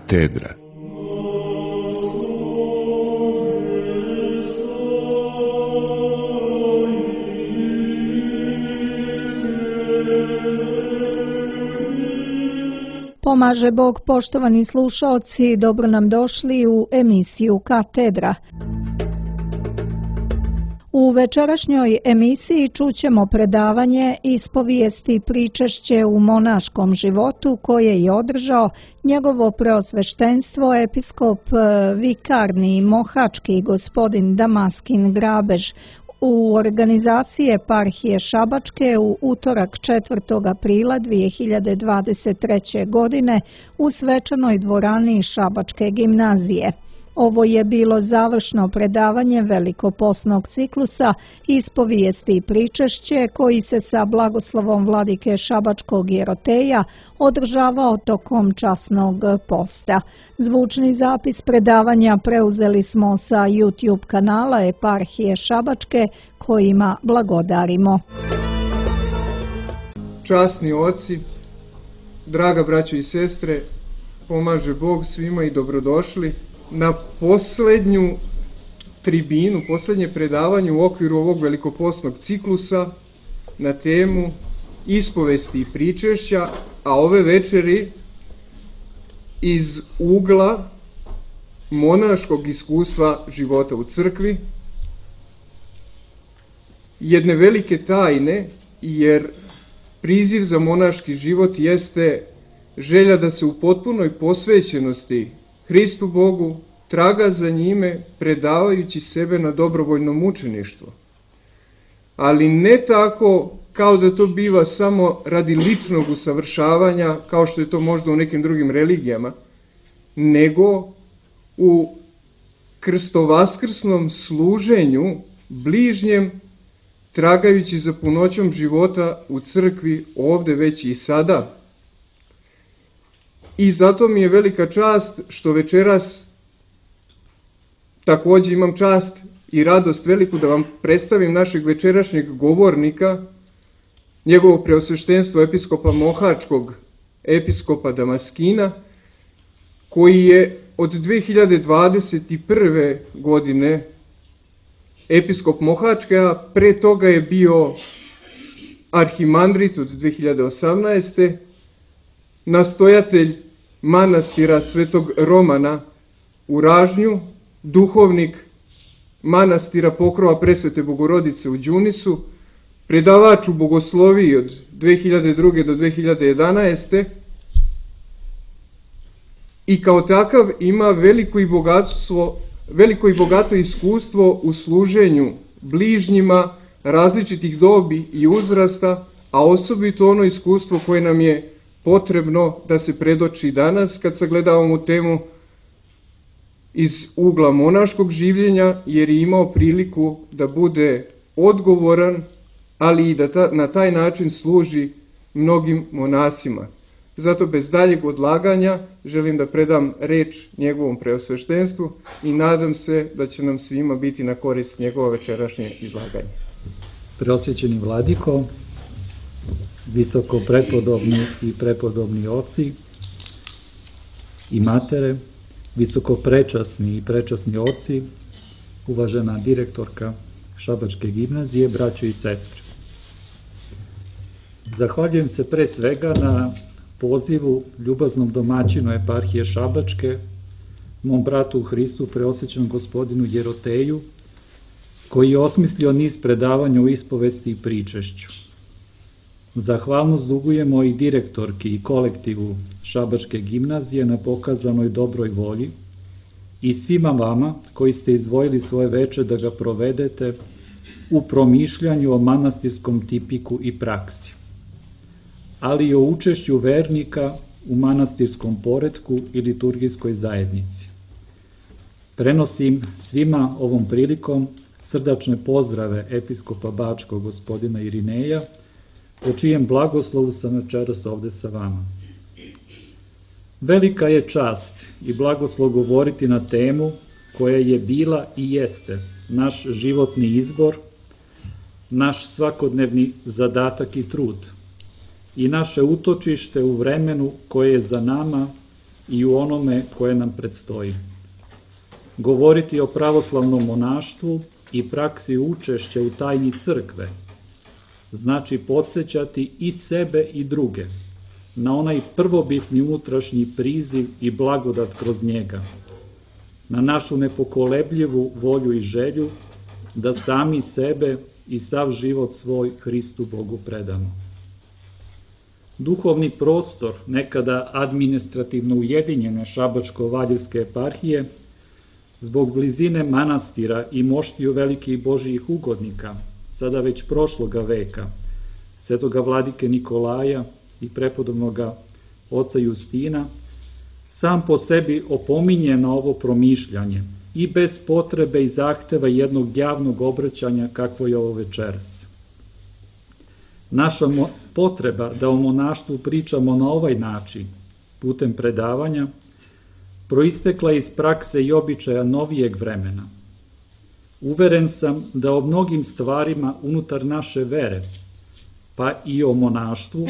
Katedra. Pomaže Bog, poštovani slušaoci, dobro nam došli u emisiju Katedra. U večerašnjoj emisiji čućemo predavanje Ispovijesti pričešće u monaškom životu koje je održao njegovo preosveštenstvo episkop vikarni mohački gospodin Damaskin Grabež u organizaciji eparhije Šabačke u utorak 4. aprila 2023. godine u svečanoj dvorani Šabačke gimnazije. Ovo je bilo završno predavanje velikoposnog ciklusa Ispovijesti i pričešće koji se sa blagoslovom vladike Šabačkog Jeroteja održavao tokom časnog posta. Zvučni zapis predavanja preuzeli smo sa YouTube kanala eparhije Šabačke kojima blagodarimo. Časni oci, draga braćo i sestre, pomaže Bog svima i dobrodošli na poslednju tribinu, poslednje predavanje u okviru ovog velikoposnog ciklusa na temu ispovesti i pričešća, a ove večeri iz ugla monaškog iskustva života u crkvi, jedne velike tajne, jer priziv za monaški život jeste želja da se u potpunoj posvećenosti Hristu Bogu traga za njime predavajući sebe na dobrovoljno mučeništvo. Ali ne tako kao da to biva samo radi ličnog usavršavanja, kao što je to možda u nekim drugim religijama, nego u krstovaskrsnom služenju bližnjem, tragajući za punoćom života u crkvi ovde već i sada. I zato mi je velika čast što večeras takođe imam čast i radost veliku da vam predstavim našeg večerašnjeg govornika, njegovo preosveštenstvo episkopa mohačkog, episkopa Damaskina, koji je od 2021. godine episkop Mohačke, a pre toga je bio arhimandrit od 2018. nastojatelj manastira Svetog Romana u Ražnju, duhovnik manastira Pokrova Presvete Bogorodice u Đunisu, predavač u bogosloviji od 2002. do 2011. i kao takav ima veliko i bogato iskustvo u služenju bližnjima različitih dobi i uzrasta, a osobito ono iskustvo koje nam je potrebno da se predoči danas kad sagledavamo temu iz ugla monaškog življenja, jer je imao priliku da bude odgovoran, ali i da na taj način služi mnogim monasima. Zato bez daljeg odlaganja želim da predam reč njegovom preosveštenstvu i nadam se da će nam svima biti na korist njegovo večerašnje izlaganje. Preosvećeni vladiko, visoko prepodobni i prepodobni oci i matere, visoko prečasni i prečasni oci, uvažena direktorka Šabačke gimnazije, braćo i sestre. Zahvaljujem se pre svega na pozivu ljubaznom domaćinu eparhije Šabačke, mom bratu u Hristu, preosvećenom gospodinu Jeroteju, koji je osmislio niz predavanja o ispovesti i pričešću. Zahvalnost dugujemo i direktorki i kolektivu Šabačke gimnazije na pokazanoj dobroj volji i svima vama koji ste izdvojili svoje veče da ga provedete u promišljanju o manastirskom tipiku i praksi, ali i o učešću vernika u manastirskom poretku i liturgijskoj zajednici. Prenosim svima ovom prilikom srdačne pozdrave episkopa Bačkog gospodina Irineja, po čijem blagoslovu sam večeras ovde sa vama. Velika je čast i blagoslov govoriti na temu koja je bila i jeste naš životni izbor, naš svakodnevni zadatak i trud i naše utočište u vremenu koje je za nama i u onome koje nam predstoji. Govoriti o pravoslavnom monaštvu i praksi učešća u tajni crkve znači podsjećati i sebe i druge na onaj prvobitni unutrašnji priziv i blagodat kroz njega, na našu nepokolebljivu volju i želju da sami sebe i sav život svoj Hristu Bogu predamo. Duhovni prostor nekada administrativno ujedinjene Šabačko-Valjevske eparhije zbog blizine manastira i moštiju velikih Božijih ugodnika, sada već prošloga veka, svetoga vladike Nikolaja i prepodobnoga oca Justina, sam po sebi opominje na ovo promišljanje i bez potrebe i zahteva jednog javnog obraćanja kakvo je ovo večeras. Naša potreba da o monaštvu pričamo na ovaj način, putem predavanja, proistekla iz prakse i običaja novijeg vremena. Uveren sam da o mnogim stvarima unutar naše vere, pa i o monaštvu,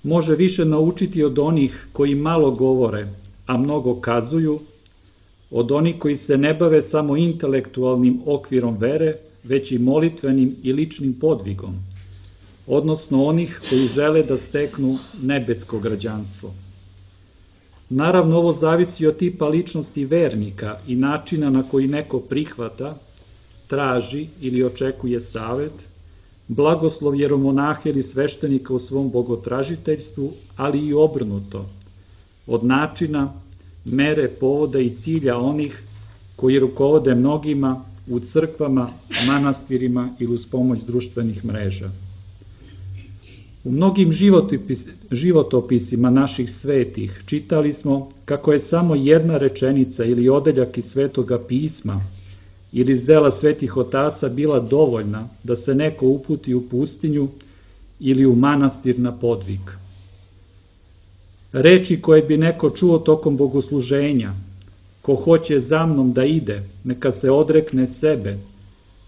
može više naučiti od onih koji malo govore, a mnogo kazuju, od onih koji se ne bave samo intelektualnim okvirom vere, već i molitvenim i ličnim podvigom, odnosno onih koji žele da steknu nebesko građanstvo. Naravno, ovo zavisi od tipa ličnosti vernika i načina na koji neko prihvata, traži ili očekuje savet, blagoslov jeromonaha ili sveštenika u svom bogotražiteljstvu, ali i obrnuto, od načina, mere, povoda i cilja onih koji rukovode mnogima u crkvama, manastirima ili uz pomoć društvenih mreža. U mnogim životopisima naših svetih čitali smo kako je samo jedna rečenica ili odeljak iz Svetoga pisma ili iz dela svetih otaca bila dovoljna da se neko uputi u pustinju ili u manastir na podvig. Reči koje bi neko čuo tokom bogosluženja: ko hoće za mnom da ide, neka se odrekne sebe,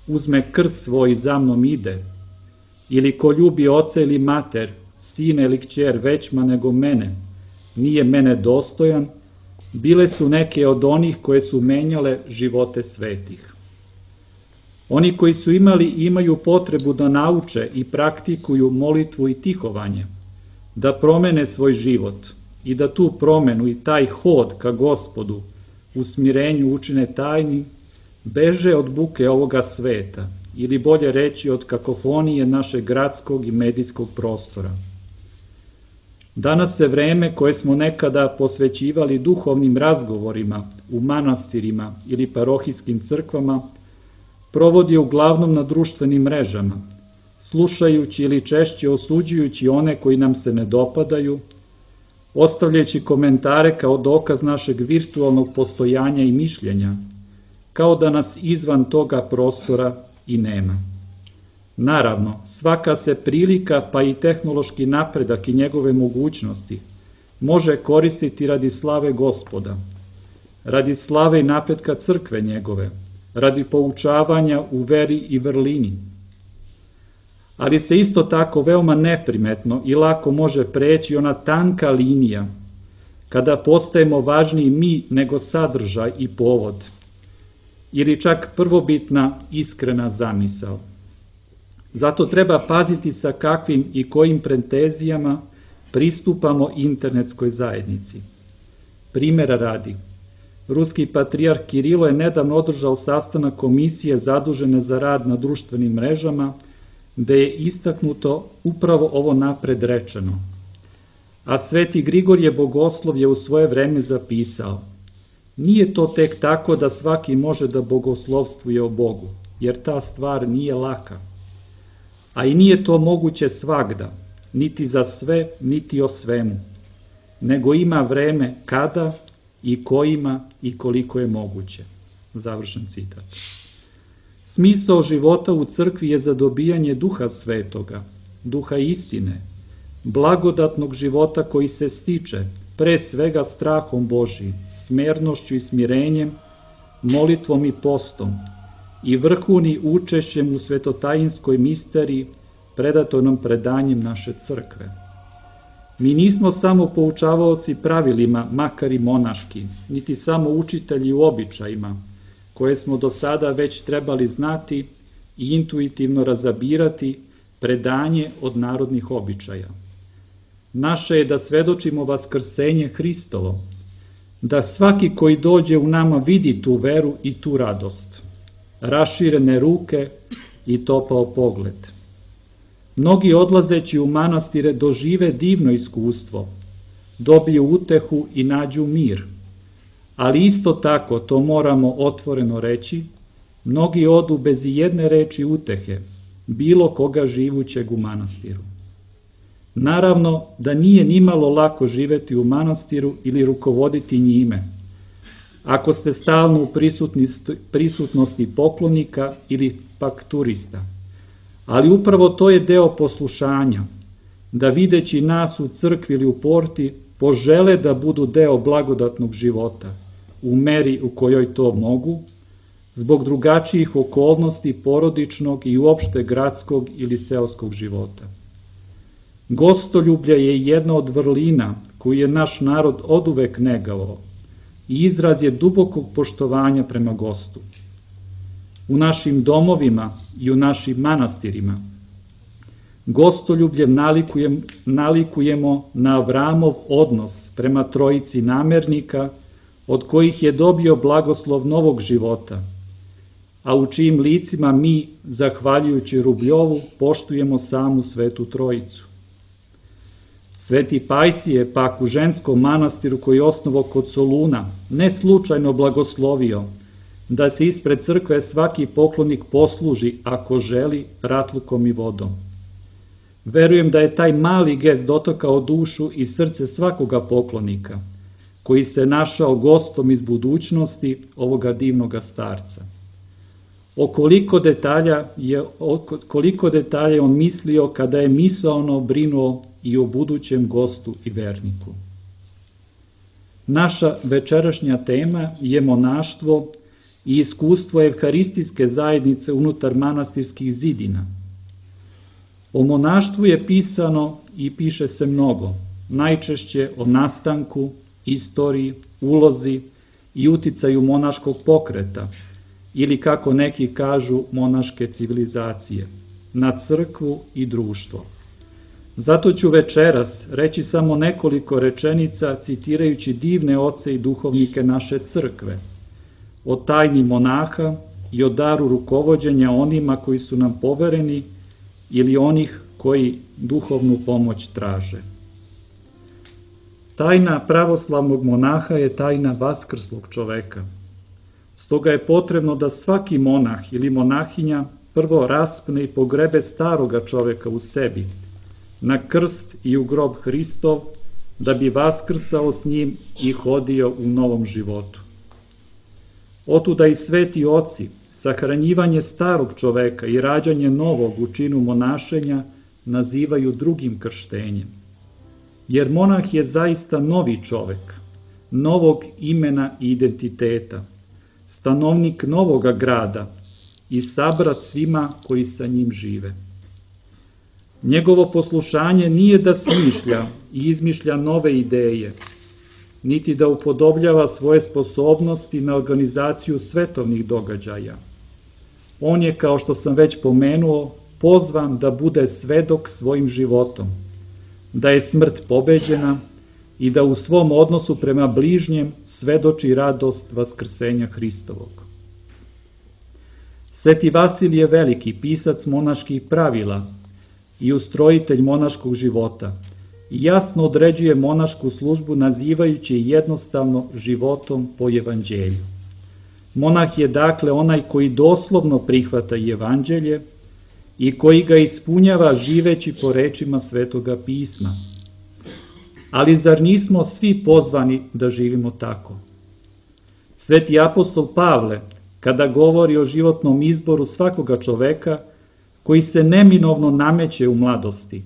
uzme krst svoj i za mnom ide, ili ko ljubi oca ili mater, sina ili kćer većma nego mene, nije mene dostojan, bile su neke od onih koje su menjale živote svetih. Oni koji su imali i imaju potrebu da nauče i praktikuju molitvu i tihovanje, da promene svoj život i da tu promenu i taj hod ka Gospodu u smirenju učine tajnim, beže od buke ovoga sveta, ili bolje reći od kakofonije našeg gradskog i medijskog prostora. Danas se vreme koje smo nekada posvećivali duhovnim razgovorima u manastirima ili parohijskim crkvama provodi uglavnom na društvenim mrežama, slušajući ili češće osuđujući one koji nam se ne dopadaju, ostavljajući komentare kao dokaz našeg virtualnog postojanja i mišljenja, kao da nas izvan toga prostora i nema. Naravno, svaka se prilika, pa i tehnološki napredak i njegove mogućnosti, može koristiti radi slave Gospoda, radi slave i napretka crkve njegove, radi poučavanja u veri i vrlini. Ali se isto tako veoma neprimetno i lako može preći ona tanka linija kada postajemo važniji mi nego sadržaj i povod, ili čak prvobitna iskrena zamisao. Zato treba paziti sa kakvim i kojim pretenzijama pristupamo internetskoj zajednici. Primera radi, ruski patrijarh Kirilo je nedavno održao sastanak komisije zadužene za rad na društvenim mrežama, gde je istaknuto upravo ovo napred rečeno. A sveti Grigorije Bogoslov je u svoje vreme zapisao: nije to tek tako da svaki može da bogoslovstvuje o Bogu, jer ta stvar nije laka. A i nije to moguće svagda, niti za sve, niti o svemu, nego ima vreme kada i kojima i koliko je moguće. Završen citat. Smisao života u crkvi je za dobijanje Duha Svetoga, Duha istine, blagodatnog života koji se stiče, pre svega strahom Božijim, smernošću i smirenjem, molitvom i postom, i vrhuni učešćem u svetotajinskoj misteriji, predatonom predanjem naše crkve. Mi nismo samo poučavaoci pravilima, makar i monaški, niti samo učitelji u običajima, koje smo do sada već trebali znati i intuitivno razabirati predanje od narodnih običaja. Naše je da svedočimo vaskrsenje Hristovo, da svaki koji dođe u nama vidi tu veru i tu radost, raširene ruke i topao pogled. Mnogi odlazeći u manastire dožive divno iskustvo, dobiju utehu i nađu mir, ali isto tako, to moramo otvoreno reći, mnogi odu bez jedne reči utehe, bilo koga živućeg u manastiru. Naravno da nije nimalo lako živeti u manastiru ili rukovoditi njime, ako ste stalno u prisutnosti poklonika ili pak turista. Ali upravo to je deo poslušanja, da videći nas u crkvi ili u porti, požele da budu deo blagodatnog života, u meri u kojoj to mogu, zbog drugačijih okolnosti porodičnog i uopšte gradskog ili seoskog života. Gostoljublje je jedna od vrlina koju je naš narod oduvek negao i izraz je dubokog poštovanja prema gostu. U našim domovima i u našim manastirima gostoljubljem nalikujemo na Avramov odnos prema trojici namernika, od kojih je dobio blagoslov novog života, a u čijim licima mi, zahvaljujući Rubljovu, poštujemo samu Svetu Trojicu. Sveti Pajsije pak u ženskom manastiru koji je osnovao kod Soluna ne slučajno blagoslovio da se ispred crkve svaki poklonik posluži, ako želi, ratlukom i vodom. Verujem da je taj mali gest dotakao dušu i srce svakoga poklonika, koji se našao gostom iz budućnosti ovoga divnoga starca. Koliko detalja je on mislio kada je misaono brinuo i o budućem gostu i verniku. Naša večerašnja tema je monaštvo i iskustvo evharistijske zajednice unutar manastirskih zidina. O monaštvu je pisano i piše se mnogo, najčešće o nastanku, istoriji, ulozi i uticaju monaškog pokreta, ili kako neki kažu monaške civilizacije, na crkvu i društvo. Zato ću večeras reći samo nekoliko rečenica citirajući divne oce i duhovnike naše crkve, o tajni monaha i o daru rukovođenja onima koji su nam povereni ili onih koji duhovnu pomoć traže. Tajna pravoslavnog monaha je tajna vaskrslog čoveka. Stoga je potrebno da svaki monah ili monahinja prvo raspne i pogrebe staroga čoveka u sebi, na krst i u grob Hristov, da bi vaskrsao s njim i hodio u novom životu. Otuda i sveti oci sahranjivanje starog čoveka i rađanje novog u činu monašenja nazivaju drugim krštenjem. Jer monah je zaista novi čovek, novog imena i identiteta, stanovnik novoga grada i sabrat svima koji sa njim žive. Njegovo poslušanje nije da smišlja i izmišlja nove ideje, niti da upodobljava svoje sposobnosti na organizaciju svetovnih događaja. On je, kao što sam već pomenuo, pozvan da bude svedok svojim životom, da je smrt pobeđena i da u svom odnosu prema bližnjem svedoči radost vaskrsenja Hristovog. Sveti Vasilije Veliki, pisac monaških pravila i ustrojitelj monaškog života, jasno određuje monašku službu nazivajući jednostavno životom po evanđelju. Monah je dakle onaj koji doslovno prihvata evanđelje i koji ga ispunjava živeći po rečima Svetoga pisma. Ali zar nismo svi pozvani da živimo tako? Sveti apostol Pavle, kada govori o životnom izboru svakoga čoveka koji se neminovno nameće u mladosti,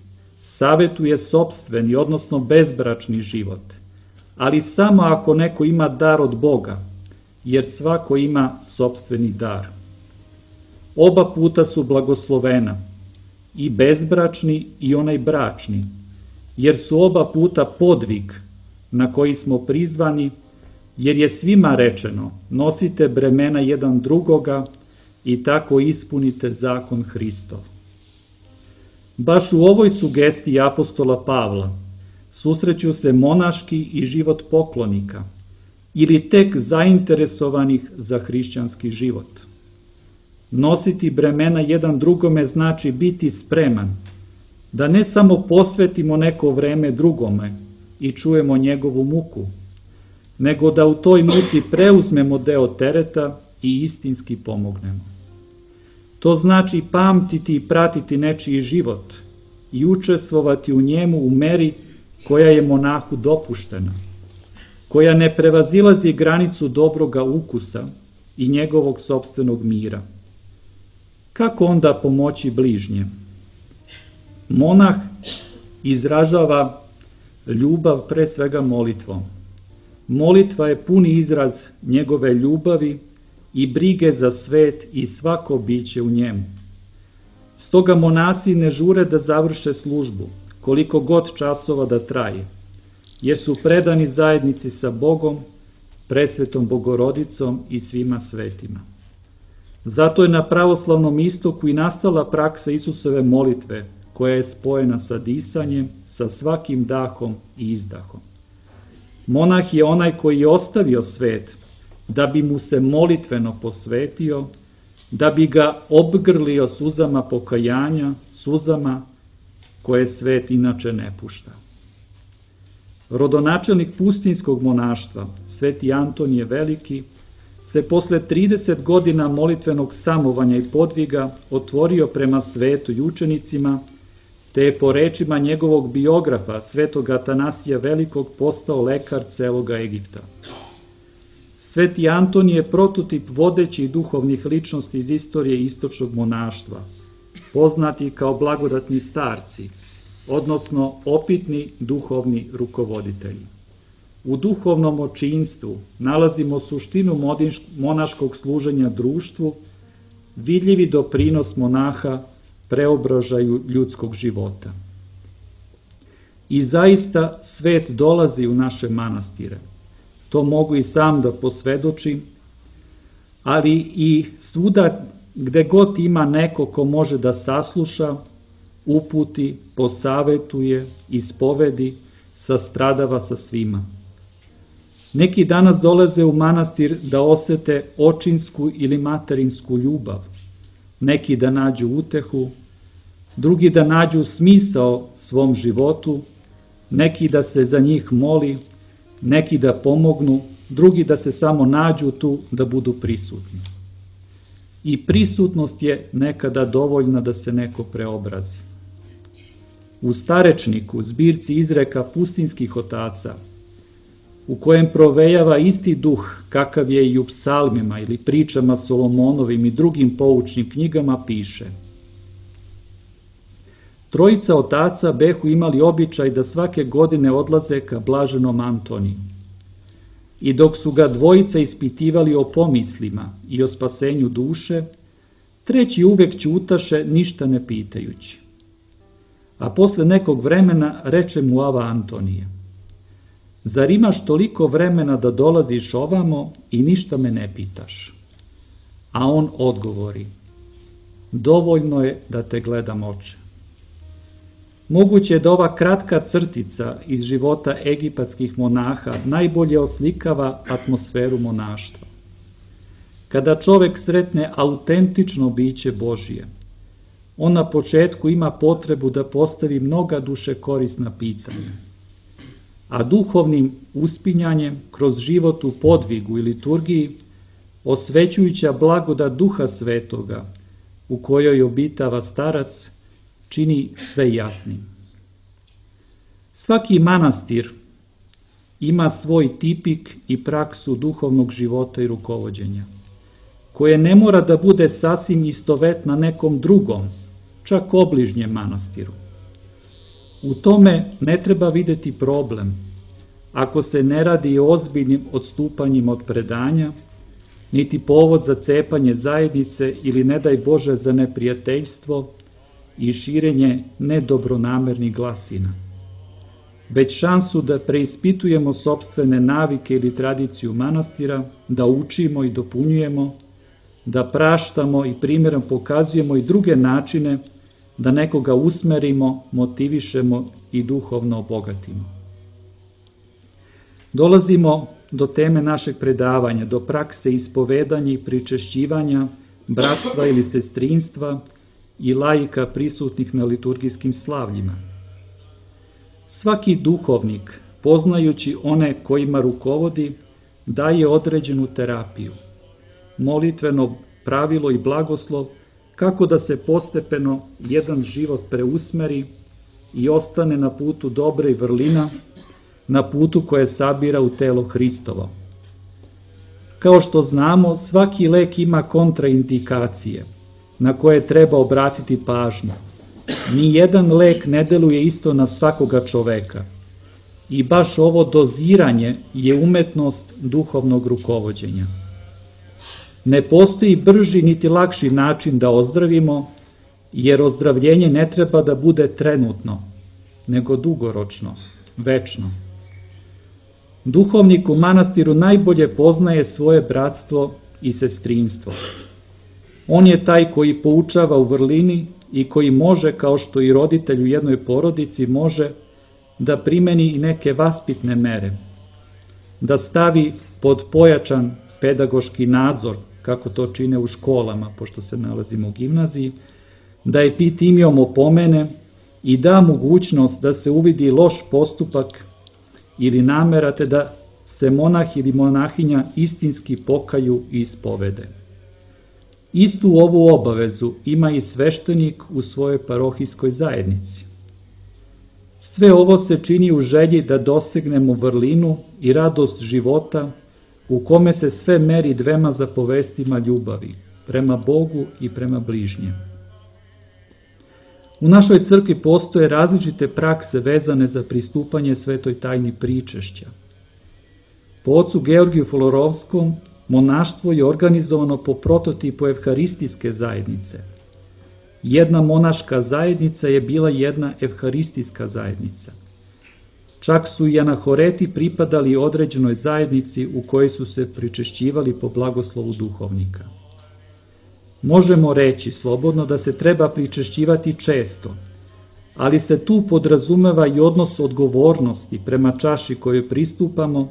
savetuje sopstveni, odnosno bezbračni život, ali samo ako neko ima dar od Boga, jer svako ima sopstveni dar. Oba puta su blagoslovena, i bezbračni i onaj bračni, jer su oba puta podvig na koji smo prizvani, jer je svima rečeno, nosite bremena jedan drugoga i tako ispunite zakon Hristov. Baš u ovoj sugestiji apostola Pavla susreću se monaški i život poklonika, ili tek zainteresovanih za hrišćanski život. Nositi bremena jedan drugome znači biti spreman, da ne samo posvetimo neko vreme drugome i čujemo njegovu muku, nego da u toj muci preuzmemo deo tereta i istinski pomognemo. To znači pamtiti i pratiti nečiji život i učestvovati u njemu u meri koja je monahu dopuštena, koja ne prevazilazi granicu dobroga ukusa i njegovog sopstvenog mira. Kako onda pomoći bližnjem? Monah izražava ljubav pre svega molitvom. Molitva je puni izraz njegove ljubavi i brige za svet i svako biće u njemu. Stoga monasi ne žure da završe službu, koliko god časova da traje, jer su predani zajednici sa Bogom, presvetom Bogorodicom i svima svetima. Zato je na pravoslavnom istoku i nastala praksa Isusove molitve, koja je spojena sa disanjem, sa svakim dahom i izdahom. Monah je onaj koji je ostavio svet, da bi mu se molitveno posvetio, da bi ga obgrlio suzama pokajanja, suzama koje svet inače ne pušta. Rodonačelnik pustinjskog monaštva, Sveti Antonije Veliki, se posle 30 godina molitvenog samovanja i podviga otvorio prema svetu i učenicima, te je po rečima njegovog biografa, svetog Atanasija Velikog, postao lekar celoga Egipta. Sveti Antonije je prototip vodećih duhovnih ličnosti iz istorije istočnog monaštva, poznati kao blagodatni starci, odnosno opitni duhovni rukovoditelji. U duhovnom očinstvu nalazimo suštinu monaškog služenja društvu, vidljivi doprinos monaha preobražaju ljudskog života. I zaista svet dolazi u naše manastire. To mogu i sam da posvedočim, ali i svuda gde god ima neko ko može da sasluša, uputi, posavetuje, ispovedi, sastradava sa svima. Neki danas dolaze u manastir da osete očinsku ili materinsku ljubav, neki da nađu utehu, drugi da nađu smisao svom životu, neki da se za njih moli, neki da pomognu, drugi da se samo nađu tu da budu prisutni. I prisutnost je nekada dovoljna da se neko preobrazi. U Starečniku, zbirci izreka pustinjskih otaca, u kojem provejava isti duh kakav je i u psalmima ili pričama Solomonovim i drugim poučnim knjigama, piše: Trojica otaca behu imali običaj da svake godine odlaze ka blaženom Antoniju. I dok su ga dvojica ispitivali o pomislima i o spasenju duše, treći uvek ćutaše, ništa ne pitajući. A posle nekog vremena reče mu ava Antonije: Zar imaš toliko vremena da dolaziš ovamo i ništa me ne pitaš? A on odgovori: Dovoljno je da te gledam, oče. Moguće je da ova kratka crtica iz života egipatskih monaha najbolje oslikava atmosferu monaštva. Kada čovek sretne autentično biće Božije, on na početku ima potrebu da postavi mnoga duše korisna pitanja, a duhovnim uspinjanjem kroz život u podvigu i liturgiji, osvećujuća blagodat Duha Svetoga, u kojoj obitava starac, čini sve jasnim. Svaki manastir ima svoj tipik i praksu duhovnog života i rukovođenja, koje ne mora da bude sasvim istovetna nekom drugom, čak obližnjem manastiru. U tome ne treba videti problem, ako se ne radi o ozbiljnim odstupanjima od predanja, niti povod za cepanje zajednice ili, ne daj Bože, za neprijateljstvo i širenje nedobronamernih glasina. već šansu da preispitujemo sopstvene navike ili tradiciju manastira, da učimo i dopunjujemo, da praštamo i primjerom pokazujemo i druge načine da nekoga usmerimo, motivišemo i duhovno obogatimo. Dolazimo do teme našeg predavanja, do prakse ispovedanja i pričešćivanja, bratstva ili sestrinstva i laika prisutnih na liturgijskim slavljima. Svaki duhovnik, poznajući one kojima rukovodi, daje određenu terapiju, molitveno pravilo i blagoslov kako da se postepeno jedan život preusmeri i ostane na putu dobre i vrlina, na putu koje sabira u telo Hristovo. Kao što znamo, svaki lek ima kontraindikacije na koje treba obratiti pažnju. Nijedan lek ne deluje isto na svakoga čoveka. I baš ovo doziranje je umetnost duhovnog rukovođenja. Ne postoji brži niti lakši način da ozdravimo, jer ozdravljenje ne treba da bude trenutno, nego dugoročno, večno. Duhovnik u manastiru najbolje poznaje svoje bratstvo i sestrinstvo. On je taj koji poučava u vrlini i koji može, kao što i roditelj u jednoj porodici može, da primeni i neke vaspitne mere, da stavi pod pojačan pedagoški nadzor, kako to čine u školama, pošto se nalazimo u gimnaziji, da epitimijom opomene i da mogućnost da se uvidi loš postupak ili namera, te da se monah ili monahinja istinski pokaju i ispovede. Istu ovu obavezu ima i sveštenik u svojoj parohijskoj zajednici. Sve ovo se čini u želji da dosegnemo vrlinu i radost života u kome se sve meri dvema zapovestima ljubavi, prema Bogu i prema bližnjem. U našoj crkvi postoje različite prakse vezane za pristupanje svetoj tajni pričešća. Po ocu Georgiju Florovskom, monaštvo je organizovano po prototipu evharistijske zajednice. Jedna monaška zajednica je bila jedna evharistijska zajednica. Čak su i anahoreti pripadali određenoj zajednici u kojoj su se pričešćivali po blagoslovu duhovnika. Možemo reći slobodno da se treba pričešćivati često, ali se tu podrazumeva i odnos odgovornosti prema čaši kojoj pristupamo,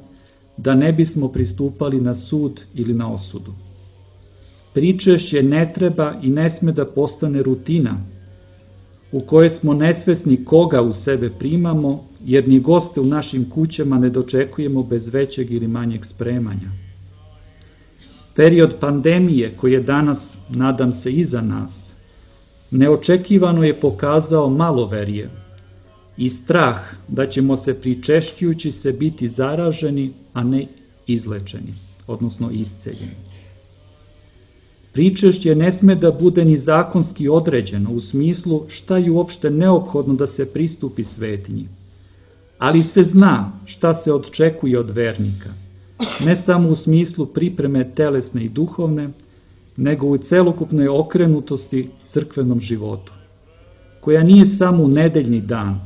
da ne bismo pristupali na sud ili na osudu. Pričešće ne treba i ne sme da postane rutina, u kojoj smo nesvesni koga u sebe primamo, jer ni goste u našim kućama ne dočekujemo bez većeg ili manjeg spremanja. Period pandemije, koji je danas, nadam se, iza nas, neočekivano je pokazao maloverje i strah da ćemo se pričešćujući se biti zaraženi, a ne izlečeni, odnosno isceljeni. Pričešće ne sme da bude ni zakonski određeno u smislu šta je uopšte neophodno da se pristupi svetinji, ali se zna šta se očekuje od vernika, ne samo u smislu pripreme telesne i duhovne, nego u celokupnoj okrenutosti crkvenom životu, koja nije samo u nedeljni dan,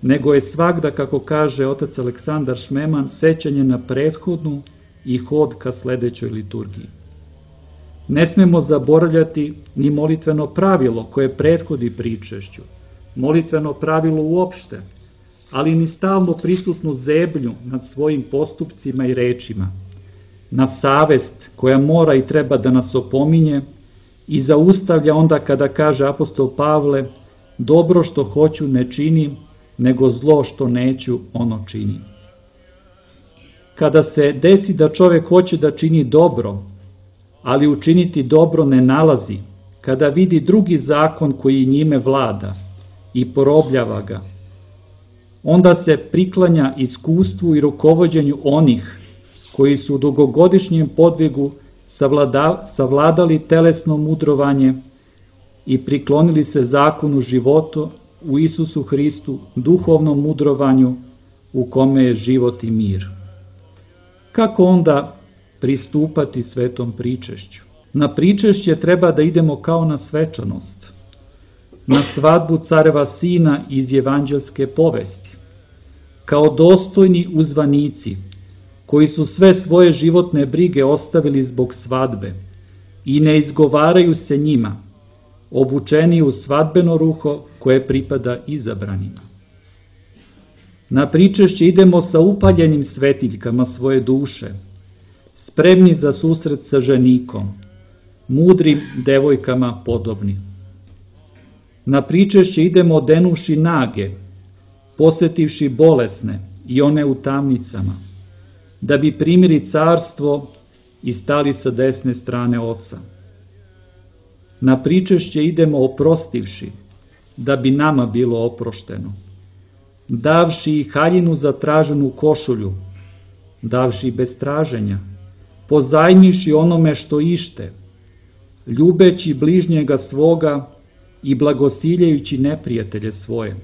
nego je svagda, kako kaže otac Aleksandar Šmeman, sećanje na prethodnu i hod ka sledećoj liturgiji. Ne smemo zaboravljati ni molitveno pravilo koje prethodi pričešću, molitveno pravilo uopšte, ali ni stalno prisutnu zebnju nad svojim postupcima i rečima, na savest koja mora i treba da nas opominje i zaustavlja onda kada kaže apostol Pavle: dobro što hoću ne činim, nego zlo što neću ono činim. Kada se desi da čovek hoće da čini dobro, ali učiniti dobro ne nalazi, kada vidi drugi zakon koji njime vlada i porobljava ga, onda se priklanja iskustvu i rukovođenju onih koji su u dugogodišnjem podvigu savladali telesno mudrovanje i priklonili se zakonu životu u Isusu Hristu, duhovnom mudrovanju u kome je život i mir. Kako onda pristupati svetom pričešću? Na pričešće treba da idemo kao na svečanost, na svadbu careva sina iz evanđelske povesti, kao dostojni uzvanici, koji su sve svoje životne brige ostavili zbog svadbe i ne izgovaraju se njima, obučeni u svadbeno ruho koje pripada izabranima. Na pričešće idemo sa upaljenim svetiljkama svoje duše, spremni za susret sa ženikom, mudrim devojkama podobni. Na pričešće idemo odenuši nage, posetivši bolesne i one u tamnicama, da bi primili carstvo i stali sa desne strane Oca. Na pričešće idemo oprostivši, da bi nama bilo oprošteno, davši i haljinu za traženu košulju, davši bez traženja, pozajmiši onome što ište, ljubeći bližnjega svoga i blagosiljajući neprijatelje svoje,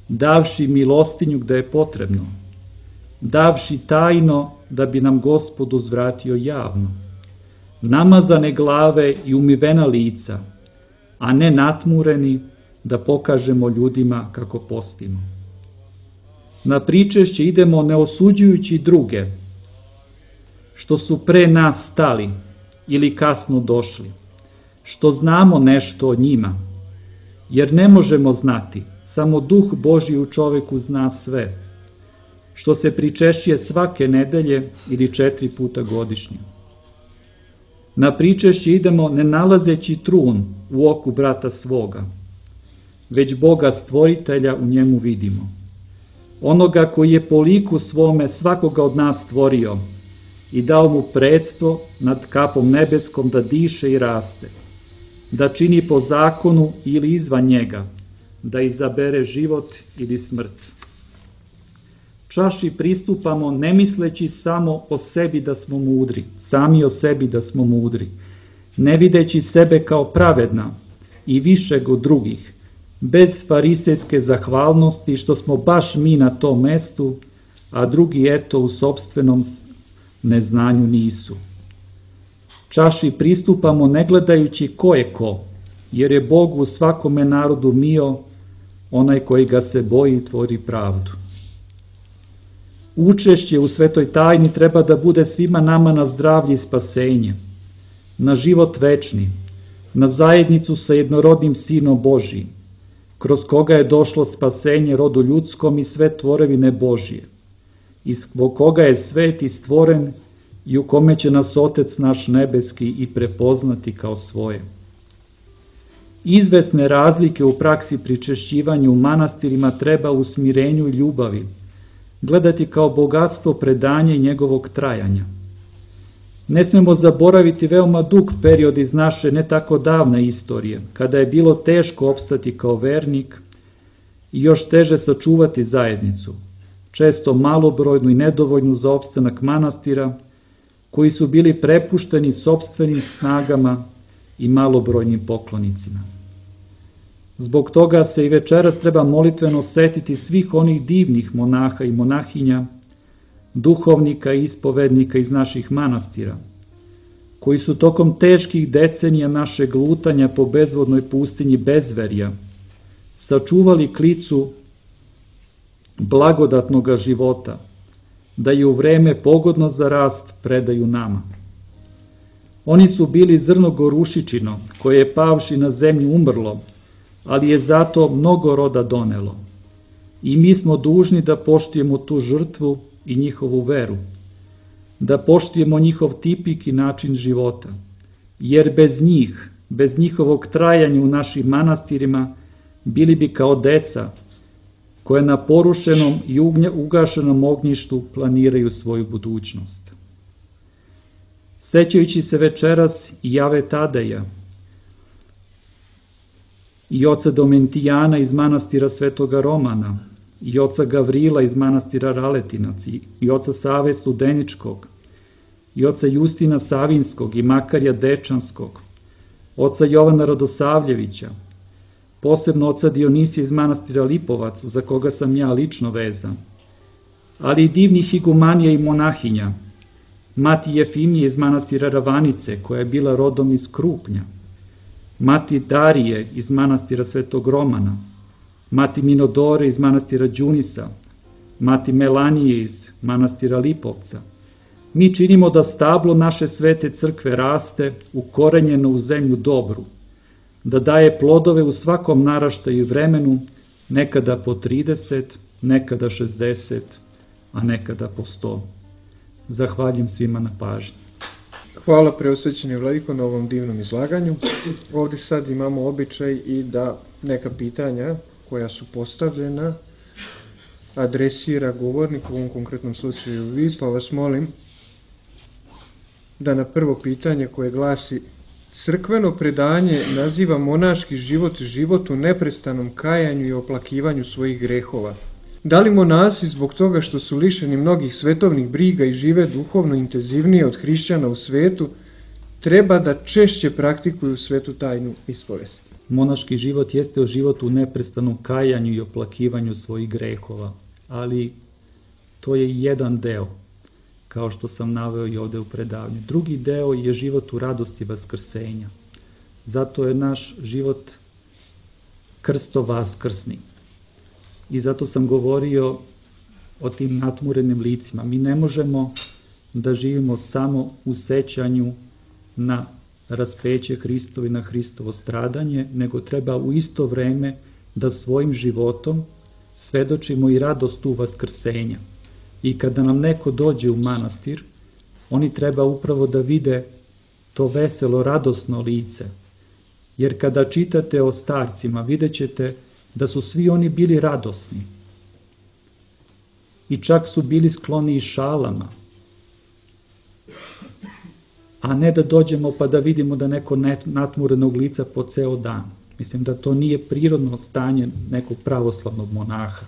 davši milostinju gde je potrebno, davši tajno da bi nam Gospod uzvratio javno, namazane glave i umivena lica, a ne natmureni da pokažemo ljudima kako postimo. Na pričešće idemo ne osuđujući druge, što su pre nas stali ili kasno došli, što znamo nešto o njima, jer ne možemo znati, samo Duh Božji u čoveku zna sve, što se pričešće svake nedelje ili 4 puta godišnje. Na pričešće idemo ne nalazeći trun u oku brata svoga, već Boga stvoritelja u njemu vidimo. Onoga koji je po liku svome svakoga od nas stvorio i dao mu predstvo nad kapom nebeskom da diše i raste, da čini po zakonu ili izvan njega, da izabere život ili smrt. Čaši pristupamo ne misleći samo o sebi da smo mudri, sami o sebi da smo mudri, ne videći sebe kao pravedna i višeg od drugih, bez farisejske zahvalnosti što smo baš mi na tom mestu, a drugi eto u sopstvenom neznanju nisu. Čaši pristupamo ne gledajući ko je ko, jer je Bog u svakome narodu mio, onaj koji ga se boji i tvori pravdu. Učešće u svetoj tajni treba da bude svima nama na zdravlje i spasenje, na život večni, na zajednicu sa jednorodnim Sinom Božijim, kroz koga je došlo spasenje rodu ljudskom i sve tvorevine Božije, i zbog koga je svet i stvoren i u kome će nas Otec naš nebeski i prepoznati kao svoje. Izvesne razlike u praksi pričešćivanja u manastirima treba u smirenju i ljubavi gledati kao bogatstvo predanja i njegovog trajanja. Ne smemo zaboraviti veoma dug period iz naše ne tako davne istorije, kada je bilo teško opstati kao vernik i još teže sačuvati zajednicu, često malobrojnu i nedovoljnu za opstanak manastira, koji su bili prepušteni sopstvenim snagama i malobrojnim poklonicima. Zbog toga se i večeras treba molitveno setiti svih onih divnih monaha i monahinja, duhovnika i ispovednika iz naših manastira, koji su tokom teških decenija našeg lutanja po bezvodnoj pustinji bezverja sačuvali klicu blagodatnoga života, da je u vreme pogodno za rast predaju nama. Oni su bili zrno gorušičino, koje je pavši na zemlju umrlo, ali je zato mnogo roda donelo. I mi smo dužni da poštujemo tu žrtvu i njihovu veru, da poštujemo njihov tipik i način života, jer bez njih, bez njihovog trajanja u našim manastirima, bili bi kao deca, koje na porušenom i ugašenom ognjištu planiraju svoju budućnost. Sećajući se večeras i Jave Tadeja, i oca Domentijana iz manastira Svetoga Romana, i oca Gavrila iz manastira Raletinac, i oca Save Studeničkog, i oca Justina Savinskog i Makarja Dečanskog, oca Jovana Radosavljevića, posebno oca Dionisija iz manastira Lipovac, za koga sam ja lično vezan, ali i divnih igumanija i monahinja, mati Jefimije iz manastira Ravanice, koja je bila rodom iz Krupnja, mati Darije iz manastira Svetog Romana, mati Minodore iz manastira Đunisa, mati Melanije iz manastira Lipovca. Mi činimo da stablo naše svete crkve raste ukorenjeno u zemlju dobru, da daje plodove u svakom naraštaju i vremenu, nekada po 30, nekada 60, a nekada po 100. Zahvaljujem svima na pažnji. Hvala preosvećeni vladiko na ovom divnom izlaganju. Ovdje sad imamo običaj i da neka pitanja koja su postavljena adresira govornik, u ovom konkretnom slučaju vi, pa vas molim da na prvo pitanje koje glasi: crkveno predanje naziva monaški život u neprestanom kajanju i oplakivanju svojih grehova. Da li monasi zbog toga što su lišeni mnogih svetovnih briga i žive duhovno intenzivnije od hrišćana u svetu, treba da češće praktikuju svetu tajnu ispovesti? Monaški život jeste život u neprestanom kajanju i oplakivanju svojih grehova, ali to je jedan deo, kao što sam naveo i ovde u predavanju. Drugi deo je život u radosti vaskrsenja. Zato je naš život krsto-vaskrsni. I zato sam govorio o tim natmurenim licima. Mi ne možemo da živimo samo u sećanju na raspeće Hristovo i na Hristovo stradanje, nego treba u isto vreme da svojim životom svedočimo i radost u vaskrsenja. I kada nam neko dođe u manastir, oni treba upravo da vide to veselo, radosno lice. Jer kada čitate o starcima, vidjet ćete da su svi oni bili radosni. I čak su bili skloni i šalama. A ne da dođemo pa da vidimo da neko natmurenog lica po ceo dan. Mislim da to nije prirodno stanje nekog pravoslavnog monaha.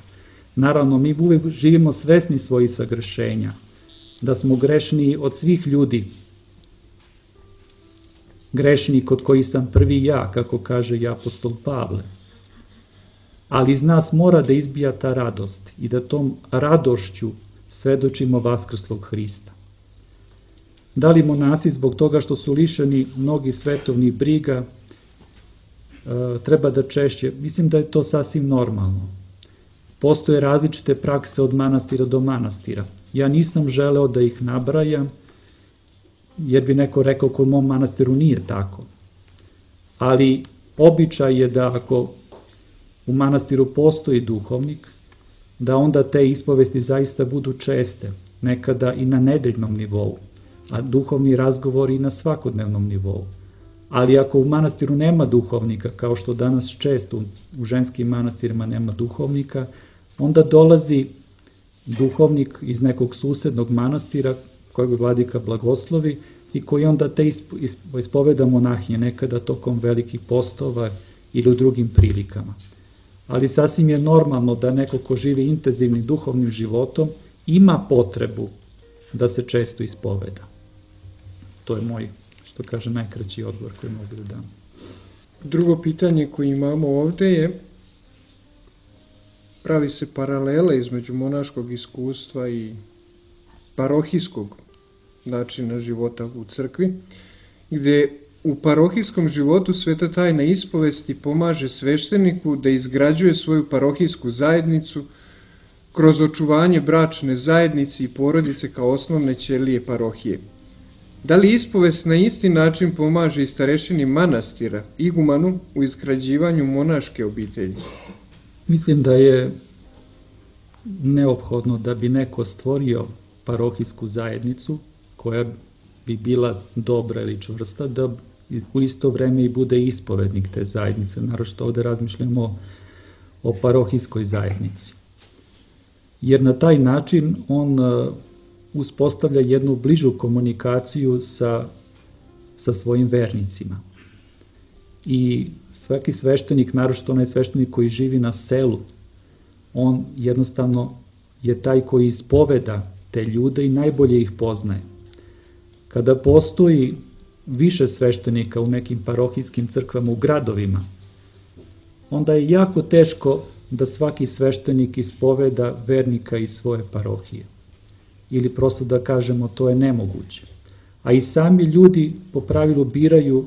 Naravno, mi uvijek živimo svesni svojih sagrešenja, da smo grešniji od svih ljudi. Grešniji kod koji sam prvi ja, kako kaže i apostol Pavle. Ali iz nas mora da izbija ta radost i da tom radošću svedočimo vaskrslog Hrista. Da li monasi zbog toga što su lišeni mnogih svetovnih briga treba da češće? Mislim da je to sasvim normalno. Postoje različite prakse od manastira do manastira. Ja nisam želeo da ih nabrajam, jer bi neko rekao kod mom manastiru nije tako. Ali običaj je da ako u manastiru postoji duhovnik, da onda te ispovesti zaista budu česte, nekada i na nedeljnom nivou, a duhovni razgovori i na svakodnevnom nivou. Ali ako u manastiru nema duhovnika, kao što danas često u ženskim manastirima nema duhovnika, onda dolazi duhovnik iz nekog susednog manastira, kojeg vladika blagoslovi, i koji onda te ispoveda monahinje, nekada tokom velikih postova ili u drugim prilikama. Ali sasvim je normalno da neko ko živi intenzivnim duhovnim životom ima potrebu da se često ispoveda. To je moj, što kaže, najkraći odgovor koji mogu da dam. Drugo pitanje koje imamo ovde je: pravi se paralela između monaškog iskustva i parohijskog načina života u crkvi, gde u parohijskom životu sveta tajna ispovesti pomaže svešteniku da izgrađuje svoju parohijsku zajednicu kroz očuvanje bračne zajednice i porodice kao osnovne ćelije parohije. Da li ispovest na isti način pomaže i starešini manastira, igumanu, u izgrađivanju monaške obitelji? Mislim da je neophodno da bi neko stvorio parohijsku zajednicu koja bi bila dobra ili čvrsta, da u isto vreme i bude ispovednik te zajednice. Naročito ovde razmišljamo o parohijskoj zajednici. Jer na taj način on uspostavlja jednu bližu komunikaciju sa svojim vernicima. I svaki sveštenik, naročito onaj sveštenik koji živi na selu, on jednostavno je taj koji ispoveda te ljude i najbolje ih poznaje. Kada postoji više sveštenika u nekim parohijskim crkvama u gradovima, onda je jako teško da svaki sveštenik ispoveda vernika iz svoje parohije. Ili prosto da kažemo, to je nemoguće. A i sami ljudi po pravilu biraju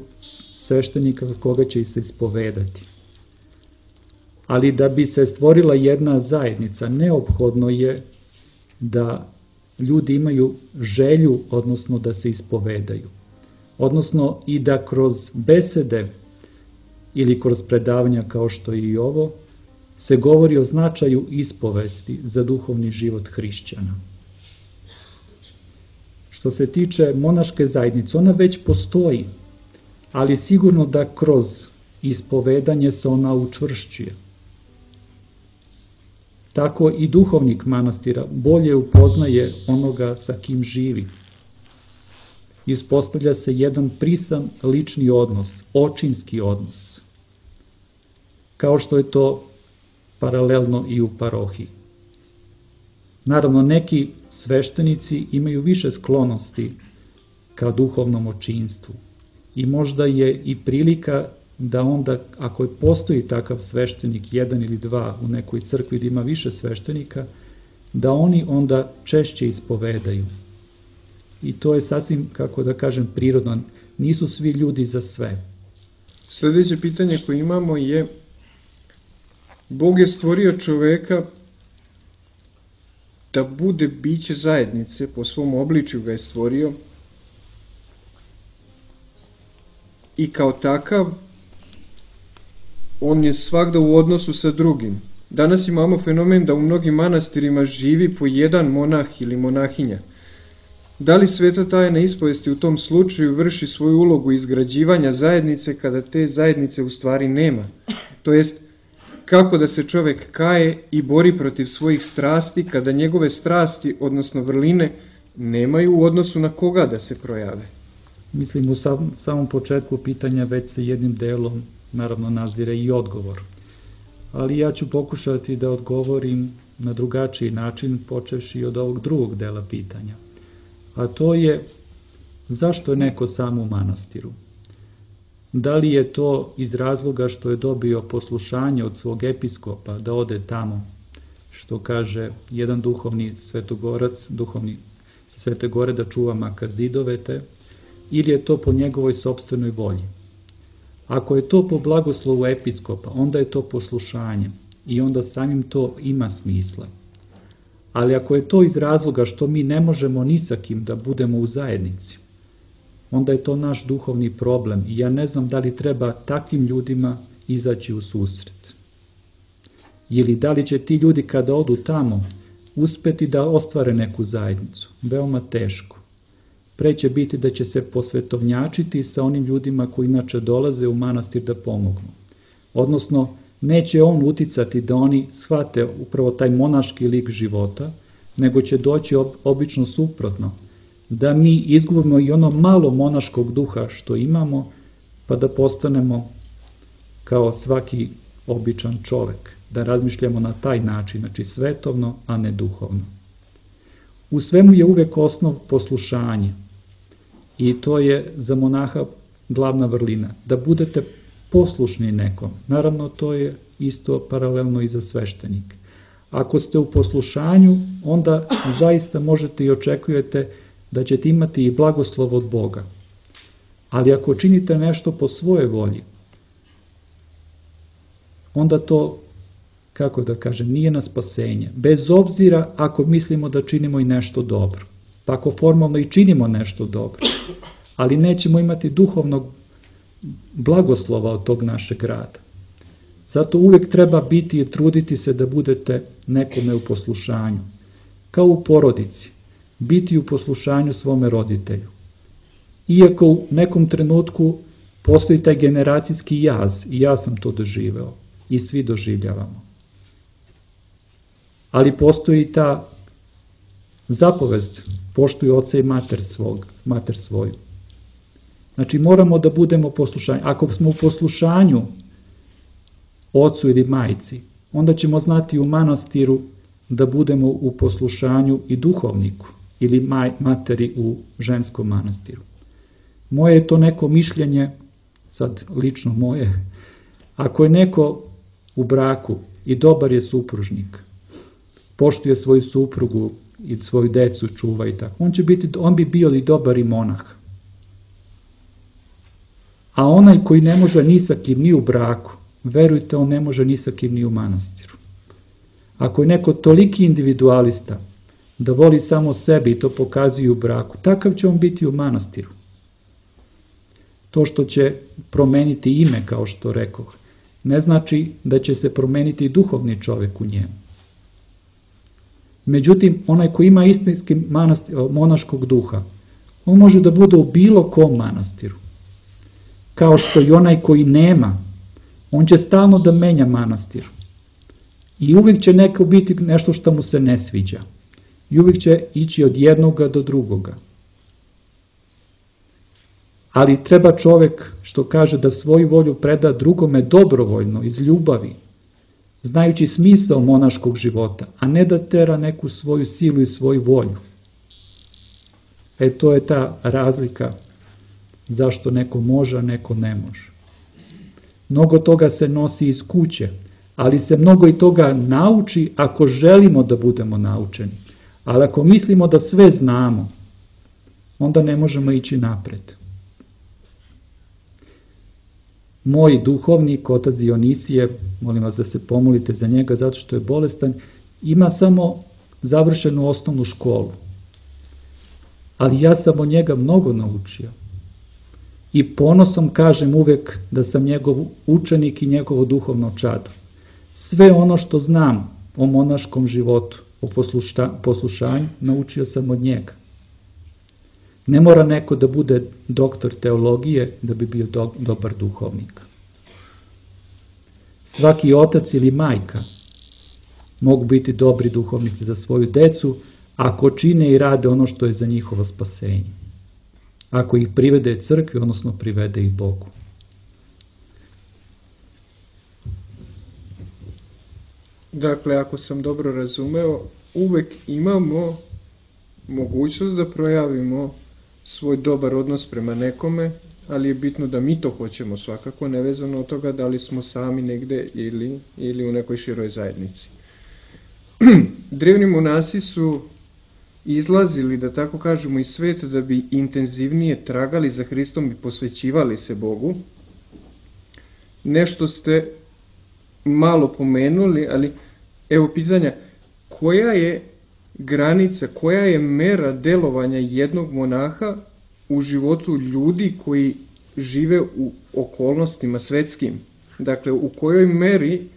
sveštenika za koga će se ispovedati. Ali da bi se stvorila jedna zajednica, neophodno je da ljudi imaju želju, odnosno da se ispovedaju. Odnosno i da kroz besede ili kroz predavanja kao što je i ovo, se govori o značaju ispovesti za duhovni život hrišćana. Što se tiče monaške zajednice, ona već postoji, ali sigurno da kroz ispovedanje se ona učvršćuje. Tako i duhovnik manastira bolje upoznaje onoga sa kim živi. Ispostavlja se jedan prisan lični odnos, očinski odnos, kao što je to paralelno i u parohiji. Naravno, neki sveštenici imaju više sklonosti ka duhovnom očinstvu i možda je i prilika da onda, ako postoji takav sveštenik, jedan ili dva u nekoj crkvi da ima više sveštenika, da oni onda češće ispovedaju. I to je sasvim, kako da kažem, prirodno. Nisu svi ljudi za sve. Sljedeće pitanje koje imamo je: Bog je stvorio čoveka da bude biće zajednice, po svom obličju ga je stvorio i kao takav on je svagda u odnosu sa drugim. Danas imamo fenomen da u mnogim manastirima živi po jedan monah ili monahinja. Da li sveta tajna ispovesti u tom slučaju vrši svoju ulogu izgrađivanja zajednice kada te zajednice u stvari nema? To jest, kako da se čovjek kaje i bori protiv svojih strasti kada njegove strasti, odnosno vrline, nemaju u odnosu na koga da se projave? Mislim, u samom početku pitanja već se jednim delom naravno nazire i odgovor. Ali ja ću pokušati da odgovorim na drugačiji način, počevši od ovog drugog dela pitanja. A to je, zašto je neko sam u manastiru? Da li je to iz razloga što je dobio poslušanje od svog episkopa da ode tamo, što kaže jedan duhovni svetogorac, duhovni Svete Gore, da čuva makar zidove te, ili je to po njegovoj sopstvenoj volji? Ako je to po blagoslovu episkopa, onda je to poslušanje i onda samim to ima smisla. Ali ako je to iz razloga što mi ne možemo ni sa kim da budemo u zajednici, onda je to naš duhovni problem i ja ne znam da li treba takvim ljudima izaći u susret. Ili da li će ti ljudi kada odu tamo uspeti da ostvare neku zajednicu? Veoma teško. Pre će biti da će se posvetovnjačiti sa onim ljudima koji inače dolaze u manastir da pomognu. Odnosno, neće on uticati da oni shvate upravo taj monaški lik života, nego će doći obično suprotno, da mi izgubimo i ono malo monaškog duha što imamo, pa da postanemo kao svaki običan čovek, da razmišljamo na taj način, znači svetovno, a ne duhovno. U svemu je uvek osnov poslušanje i to je za monaha glavna vrlina, da budete poslušni nekom. Naravno, to je isto paralelno i za sveštenike. Ako ste u poslušanju, onda zaista možete i očekujete da ćete imati i blagoslov od Boga. Ali ako činite nešto po svojoj volji, onda to, kako da kažem, nije na spasenje. Bez obzira ako mislimo da činimo i nešto dobro. Pa ako formalno i činimo nešto dobro, ali nećemo imati duhovnog blagoslova od tog našeg rada. Zato uvijek treba biti i truditi se da budete nekome u poslušanju. Kao u porodici, biti u poslušanju svome roditelju. Iako u nekom trenutku postoji taj generacijski jaz, i ja sam to doživeo, i svi doživljavamo. Ali postoji ta zapovest, poštuj oca i mater svoju. Znači moramo da budemo poslušani. Ako smo u poslušanju ocu ili majci, onda ćemo znati u manastiru da budemo u poslušanju i duhovniku ili materi u ženskom manastiru. Moje je to neko mišljenje, sad lično moje, ako je neko u braku i dobar je supružnik, poštuje svoju suprugu i svoju decu čuva i tako, on bi bio i dobar i monah. A onaj koji ne može ni sa kim ni u braku, verujte, on ne može ni sa kim ni u manastiru. Ako je neko toliki individualista da voli samo sebe i to pokazuje u braku, takav će on biti u manastiru. To što će promeniti ime, kao što rekoh, ne znači da će se promeniti i duhovni čovjek u njemu. Međutim, onaj koji ima istinski monaškog duha, on može da bude u bilo kom manastiru. Kao što i onaj koji nema, on će stalno da menja manastir. I uvijek će neko biti nešto što mu se ne sviđa. I uvijek će ići od jednoga do drugoga. Ali treba čovjek, što kaže, da svoju volju preda drugome dobrovoljno, iz ljubavi, znajući smisao monaškog života, a ne da tera neku svoju silu i svoju volju. To je ta razlika zašto neko može, a neko ne može. Mnogo toga se nosi iz kuće, ali se mnogo i toga nauči ako želimo da budemo naučeni. Ali ako mislimo da sve znamo, onda ne možemo ići napred. Moj duhovnik, otac Dionisije, molim vas da se pomolite za njega zato što je bolestan, ima samo završenu osnovnu školu. Ali ja sam od njega mnogo naučio. I ponosom kažem uvek da sam njegov učenik i njegovo duhovno čado. Sve ono što znam o monaškom životu, o poslušanju, naučio sam od njega. Ne mora neko da bude doktor teologije da bi bio dobar duhovnik. Svaki otac ili majka mogu biti dobri duhovnici za svoju decu ako čine i rade ono što je za njihovo spasenje. Ako ih privede crkvi, odnosno privede ih Bogu. Dakle, ako sam dobro razumeo, uvek imamo mogućnost da projavimo svoj dobar odnos prema nekome, ali je bitno da mi to hoćemo svakako, nevezano od toga da li smo sami negde ili u nekoj široj zajednici. Drevni monasi su izlazili, da tako kažemo, iz sveta da bi intenzivnije tragali za Hristom i posvećivali se Bogu. Nešto ste malo pomenuli, ali evo pitanja, koja je granica, koja je mera delovanja jednog monaha u životu ljudi koji žive u okolnostima svetskim? Dakle, u kojoj meri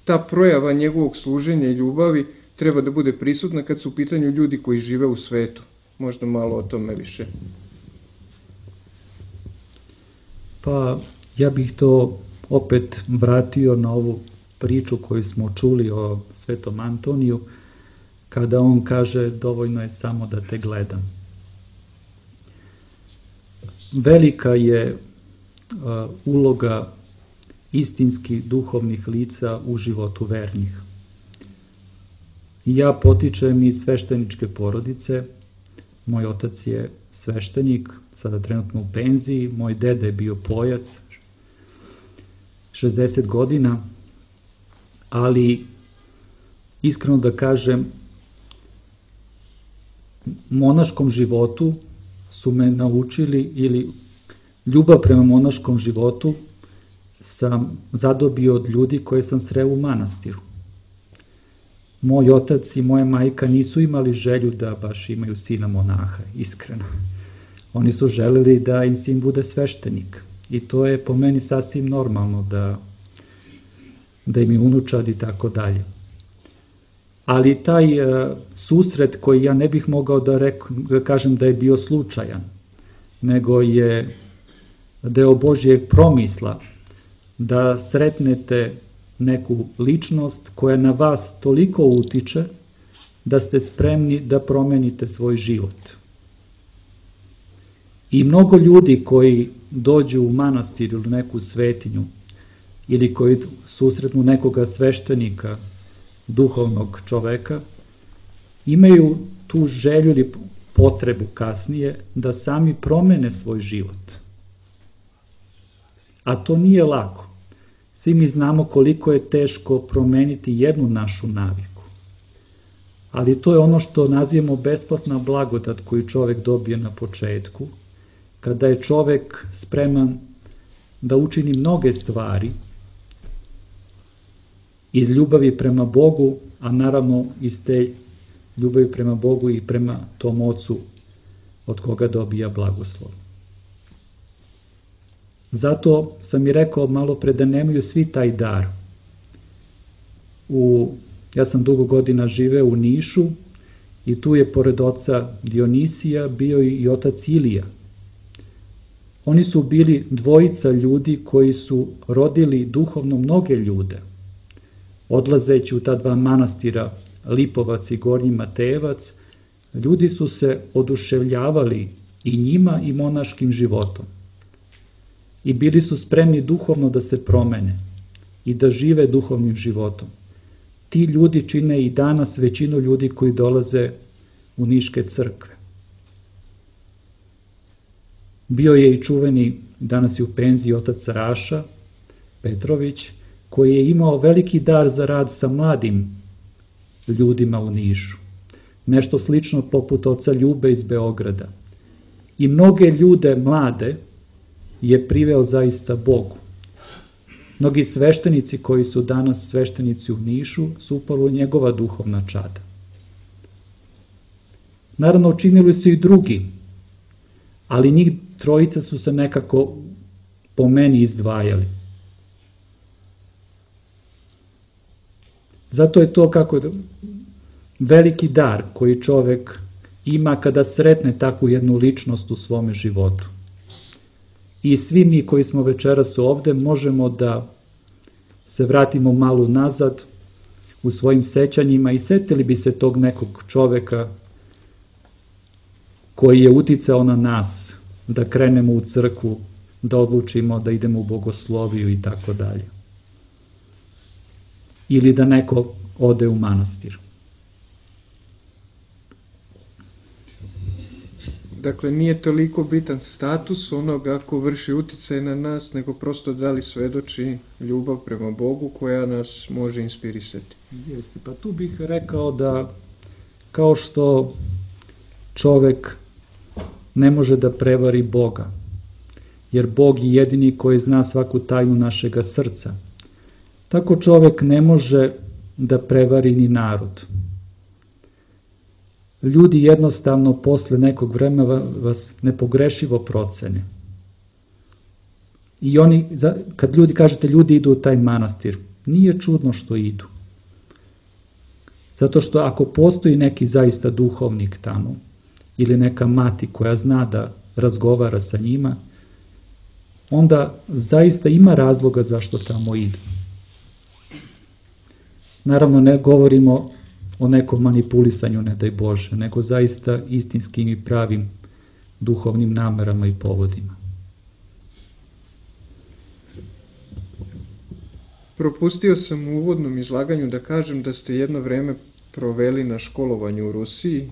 ta projava njegovog služenja i ljubavi treba da bude prisutna kad su u pitanju ljudi koji žive u svetu? Možda malo o tome više. Pa, ja bih to opet vratio na ovu priču koju smo čuli o Svetom Antoniju, kada on kaže dovoljno je samo da te gledam. Velika je uloga istinskih duhovnih lica u životu vernih. Ja potičem iz svešteničke porodice, moj otac je sveštenik, sada trenutno u penziji, moj deda je bio pojac, 60 godina, ali iskreno da kažem, monaškom životu su me naučili, ili ljubav prema monaškom životu sam zadobio od ljudi koje sam sreo u manastiru. Moj otac i moja majka nisu imali želju da baš imaju sina monaha, iskreno. Oni su želeli da im sin bude sveštenik. I to je po meni sasvim normalno da im je unučad i tako dalje. Ali taj susret koji ja ne bih mogao da kažem da je bio slučajan, nego je deo Božjeg promisla da sretnete neku ličnost koja na vas toliko utiče da ste spremni da promenite svoj život. I mnogo ljudi koji dođu u manastir ili neku svetinju ili koji susretnu nekoga sveštenika, duhovnog čoveka, imaju tu želju ili potrebu kasnije da sami promene svoj život. A to nije lako. Svi mi znamo koliko je teško promeniti jednu našu naviku. Ali to je ono što nazivamo besplatna blagodat koju čovek dobije na početku, kada je čovek spreman da učini mnoge stvari iz ljubavi prema Bogu, a naravno iz te ljubavi prema Bogu i prema tom Ocu od koga dobija blagoslov. Zato sam i rekao malo pre da nemaju svi taj dar. Ja sam dugo godina živeo u Nišu i tu je pored oca Dionisija bio i otac Ilija. Oni su bili dvojica ljudi koji su rodili duhovno mnoge ljude. Odlazeći u ta dva manastira, Lipovac i Gornji Matejevac, ljudi su se oduševljavali i njima i monaškim životom. I bili su spremni duhovno da se promene i da žive duhovnim životom. Ti ljudi čine i danas većinu ljudi koji dolaze u Niške crkve. Bio je i čuveni, danas je u penziji, otac Raša Petrović, koji je imao veliki dar za rad sa mladim ljudima u Nišu. Nešto slično poput oca Ljube iz Beograda. I mnoge ljude mlade je priveo zaista Bogu. Mnogi sveštenici koji su danas sveštenici u Nišu su upravo njegova duhovna čada. Naravno, učinili su i drugi, ali njih trojica su se nekako po meni izdvajali. Zato je to kako veliki dar koji čovek ima kada sretne takvu jednu ličnost u svome životu. I svi mi koji smo večeras ovde možemo da se vratimo malo nazad u svojim sećanjima i setili bi se tog nekog čoveka koji je uticao na nas da krenemo u crkvu, da odlučimo da idemo u bogosloviju i tako dalje. Ili da neko ode u manastir. Dakle, nije toliko bitan status onoga ko vrši uticaj na nas, nego prosto da li svedoči ljubav prema Bogu koja nas može inspirisati. Jeste, pa tu bih rekao da kao što čovek ne može da prevari Boga, jer Bog je jedini koji zna svaku tajnu našega srca, tako čovek ne može da prevari ni narod. Ljudi jednostavno posle nekog vremena vas nepogrešivo procene. I oni, kad ljudi kažete ljudi idu u taj manastir, nije čudno što idu. Zato što ako postoji neki zaista duhovnik tamo, ili neka mati koja zna da razgovara sa njima, onda zaista ima razloga zašto tamo idu. Naravno, ne govorimo o nekom manipulisanju, ne daj Bože, nego zaista istinskim i pravim duhovnim namerama i povodima. Propustio sam u uvodnom izlaganju da kažem da ste jedno vreme proveli na školovanju u Rusiji,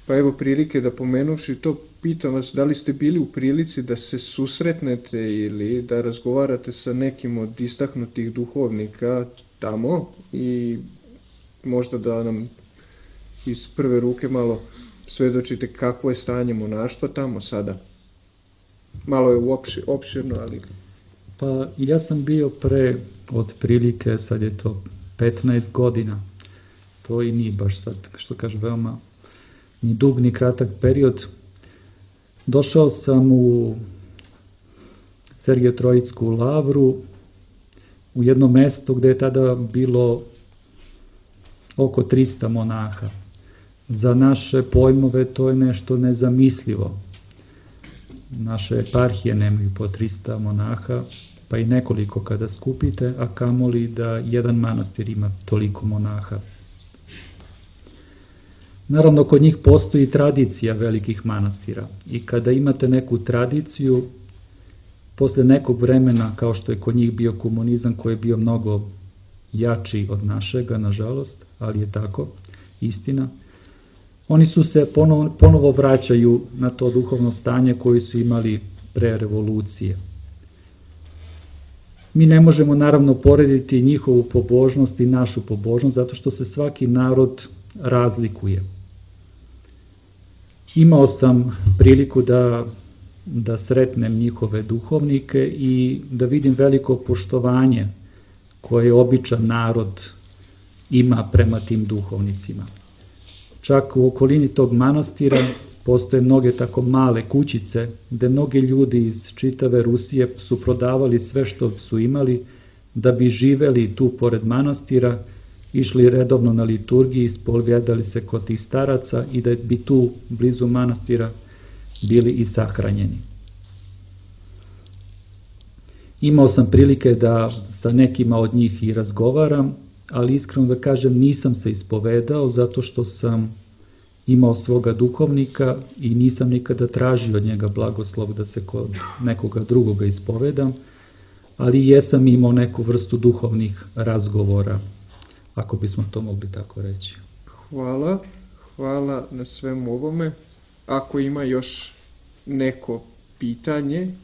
pa evo prilike da pomenuvši to, pitam vas da li ste bili u prilici da se susretnete ili da razgovarate sa nekim od istaknutih duhovnika tamo i možda da nam iz prve ruke malo svedočite kakvo je stanje monaštva tamo sada. Malo je opširno, ali... Pa ja sam bio pre otprilike, sad je to 15 godina, to i nije baš sad, što kaže, veoma ni dug ni kratak period. Došao sam u Sergije-Trojicku lavru, u jedno mesto gde je tada bilo oko 300 monaha. Za naše pojmove to je nešto nezamislivo. Naše eparhije nemaju po 300 monaha, pa i nekoliko kada skupite, a kamoli da jedan manastir ima toliko monaha. Naravno, kod njih postoji tradicija velikih manastira i kada imate neku tradiciju, posle nekog vremena, kao što je kod njih bio komunizam koji je bio mnogo jači od našega, nažalost, ali je tako, istina, oni su se ponovo vraćaju na to duhovno stanje koje su imali pre revolucije. Mi ne možemo naravno porediti njihovu pobožnost i našu pobožnost, zato što se svaki narod razlikuje. Imao sam priliku da sretnem njihove duhovnike i da vidim veliko poštovanje koje običan narod ima prema tim duhovnicima. Čak u okolini tog manastira postoje mnoge tako male kućice gde mnogi ljudi iz čitave Rusije su prodavali sve što su imali da bi živeli tu pored manastira, išli redovno na liturgiji, ispovedali se kod tih staraca i da bi tu blizu manastira bili i sahranjeni. Imao sam prilike da sa nekima od njih i razgovaram, ali iskreno da kažem nisam se ispovedao zato što sam imao svoga duhovnika i nisam nikada tražio od njega blagoslov da se kod nekoga drugoga ispovedam, ali jesam imao neku vrstu duhovnih razgovora, ako bismo to mogli tako reći. Hvala na svemu ovome. Ako ima još neko pitanje,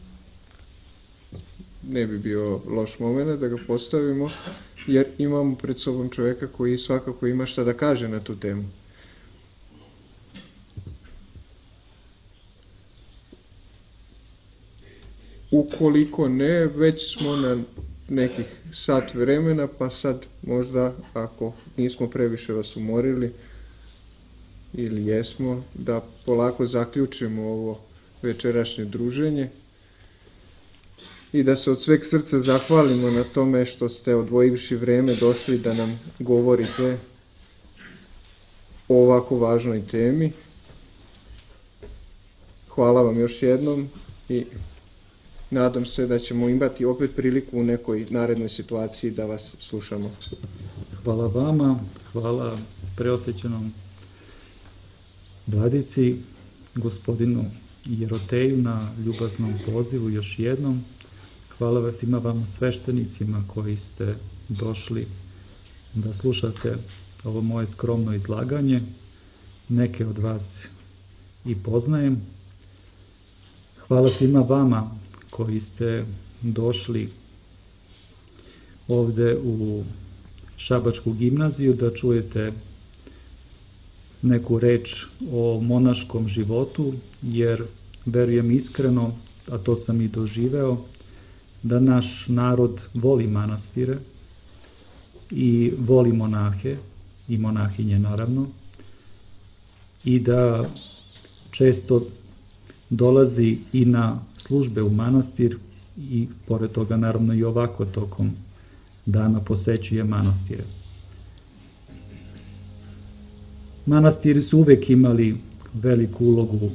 ne bi bio loš moment da ga postavimo, jer imamo pred sobom čoveka koji svakako ima šta da kaže na tu temu. Ukoliko ne, već smo na nekih sat vremena, pa sad možda, ako nismo previše vas umorili, ili jesmo, da polako zaključimo ovo večerašnje druženje i da se od sveg srca zahvalimo na tome što ste odvojivši vreme došli da nam govorite o ovako važnoj temi. Hvala vam još jednom i nadam se da ćemo imati opet priliku u nekoj narednoj situaciji da vas slušamo. Hvala vama, hvala preosvećenom vladici, gospodinu Jeroteju na ljubaznom pozivu još jednom. Hvala vas svima vama sveštenicima koji ste došli da slušate ovo moje skromno izlaganje. Neke od vas i poznajem. Hvala svima vama koji ste došli ovde u Šabačku gimnaziju da čujete neku reč o monaškom životu, jer verujem iskreno, a to sam i doživeo, da naš narod voli manastire i voli monahe i monahinje naravno, i da često dolazi i na službe u manastir i pored toga naravno i ovako tokom dana posećuje manastire. Manastiri su uvek imali veliku ulogu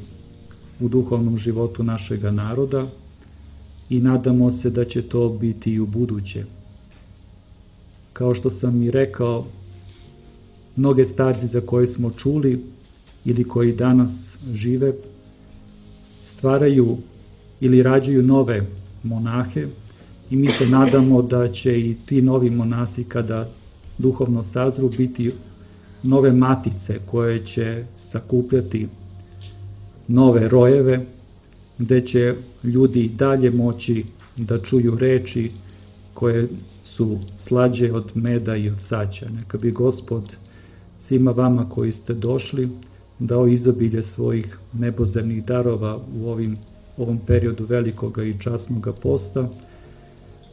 u duhovnom životu našega naroda i nadamo se da će to biti i u buduće. Kao što sam i rekao, mnoge starci za koje smo čuli ili koji danas žive stvaraju ili rađaju nove monahe i mi se nadamo da će i ti novi monasi kada duhovno sazru biti nove matice koje će sakupljati nove rojeve gde će ljudi dalje moći da čuju reči koje su slađe od meda i od saća. Neka bi Gospod svima vama koji ste došli dao izobilje svojih nebozemnih darova u ovom periodu velikoga i časnoga posta,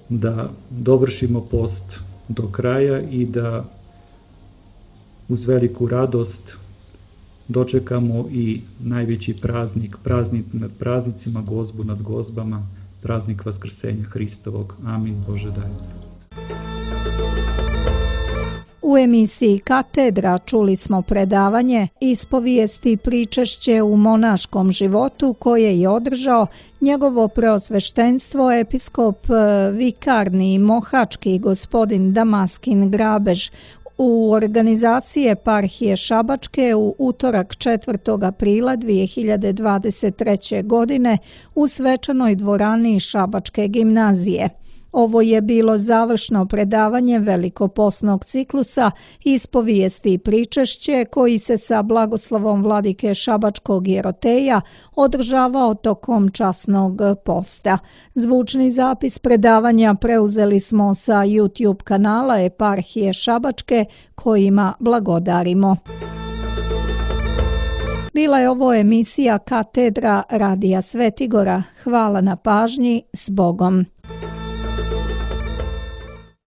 da dovršimo post do kraja i da uz veliku radost dočekamo i najveći praznik nad praznicima, gozbu nad gozbama, praznik Vaskrsenja Hristovog. Amin. Bože daj. U emisiji Katedra čuli smo predavanje Ispovijesti i pričešće u monaškom životu koje je održao njegovo preosveštenstvo episkop vikarni mohački gospodin Damaskin Grabež u organizaciji eparhije Šabačke u utorak 4. aprila 2023. godine u svečanoj dvorani Šabačke gimnazije. Ovo je bilo završno predavanje velikoposnog ciklusa Ispovijesti i pričešće koji se sa blagoslovom vladike Šabačkog Jeroteja održavao tokom časnog posta. Zvučni zapis predavanja preuzeli smo sa YouTube kanala eparhije Šabačke kojima blagodarimo. Bila je ovo emisija Katedra Radija Svetigora. Hvala na pažnji, s Bogom.